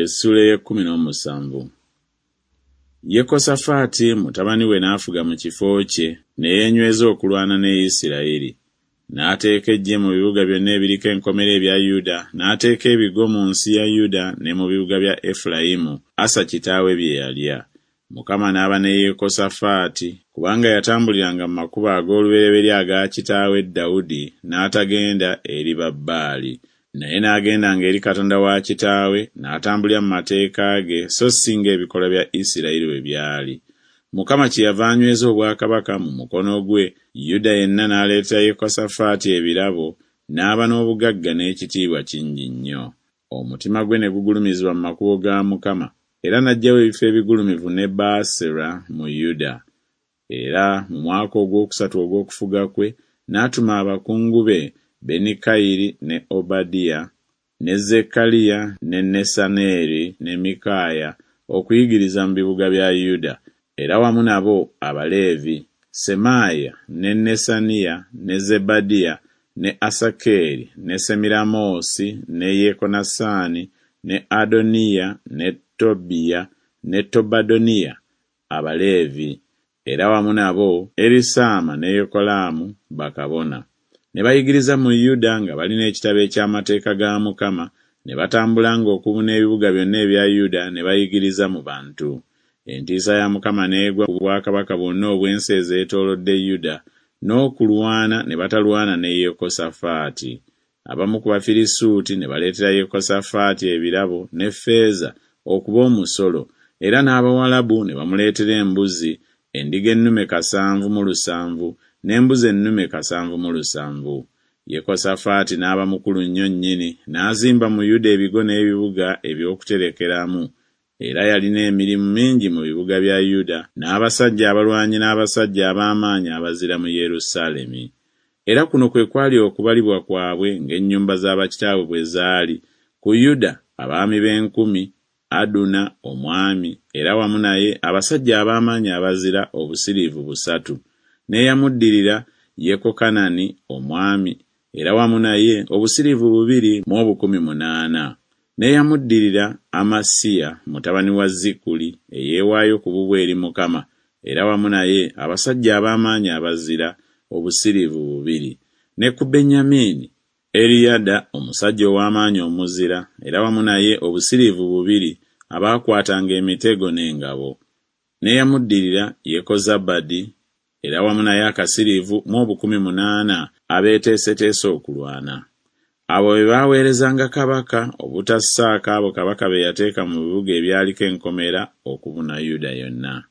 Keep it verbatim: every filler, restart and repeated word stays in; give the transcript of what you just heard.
Essuula ey'ekkumi n'omusanvu. Yekosafaati mutabani we n'afuga mu kifo kye, ne yeenyweza okulwana ne Isirayiri. N'ateeka eggye mu bibuga byonna ebiriko enkomera ebya Yuda, n'ateeka ebigo mu nsi ya Yuda ne mu bibuga bya Efulayimu, Asa kitaawe bye yalya. Mukama n'aba ne Yekosafaati, kubanga yatambuliranga mu makubo ag'olubereberye aga kitaawe Dawudi, n'atagenda eri Babbaali. Naye n'agendanga eri Katonda wa kitaawe, n'atambulira mu mateeka ge, so si ng'ebikolwa bya Isirayiri bwe byali. Mukama kyeyava anyweza obwakabaka mu mukono gwe, Yuda yenna n'aleetera Yekosafaati ebirabo, n'aba n'obugagga n'ekitiibwa kingi nnyo. Omutima gwe ne gugulumizibwa mu makubo ga Mukama, era n'aggyawo ebifo ebigulumivu ne Baasera mu Yuda. Era mu mwaka ogwokusatu ogw'okufuga kwe, n'atuma abakungu be Benikayiri ne Obadiya ne Zekkaliya ne Nesaneeri ne Mikaaya okuyigiriza mu bibuga bya Yuda, era wamu nabo Abaleevi, Semaaya ne Nesaniya ne Zebadiya ne Asakeeri ne Semiramoosi ne Yekonasaani ne Adoniya ne Tobiya ne Tobadoniya Abaleevi, era wamu nabo Erisaama ne Yekolaamu bakabona. Ne bayigiriza mu Yuda nga balina ekitabo eky'amateeka ga Mukama, ne batambulanga okubuna ebibuga byonna ebya Yuda ne bayigiriza mu bantu. Entiisa ya Mukama n'egwa ku bwakabaka bwonna obw'ensi ezeetoolodde Yuda, n'okulwana ne batalwana ne Yekosafaati. Abamu ku Bafirisuuti ne baleetera Yekosafaati ebirabo ne ffeeza okuba omusolo, era n'Abawalabu ne bamuleetera embuzi, endiga ennume kasanvu mu lusanvu, n'embuzi ennume kasanvu mu lusanvu. Yekosafaati n'aba mukulu nnyo nnyini, n'azimba mu Yuda ebigo n'ebibuga eby'okuterekeramu. Era yalina emirimu mingi mu bibuga bya Yuda, n'abasajja abalwanyi n'abasajja ab'amaanyi abazira mu Yerusaalemi. Era kuno kwe kwali okubalibwa kwabwe ng'ennyumba za bakitaabwe bwe zaali: ku Yuda abaami b'enkumi, Aduna omwami, era wamu naye abasajja ab'amaanyi abazira obusiriivu busatu. N'eyamuddirira Yekokanani omwami, era wamu naye obusiriivu bubiri mu obukumi munaana. N'eyamuddirira Amasiya mutabani wa Zikuli eyeewaayo ku bubwe eri Mukama, era wamu naye abasajja ab'amaanyi abazira obusiriivu bubiri. Ne ku Benyamini Eriyada omusajja ow'amaanyi omuzira, era wamu naye obusiriivu bubiri abaakwatanga emitego n'engabo. N'eyamuddirira Yekozabadi, era wamu naye akasiriivu mu obukumi munaana abeeteeseteese okulwana. Abo be baaweerezanga kabaka, obutassaako abo kabaka be yateeka mu bibuga ebyaliko enkomera okubuna Yuda yonna.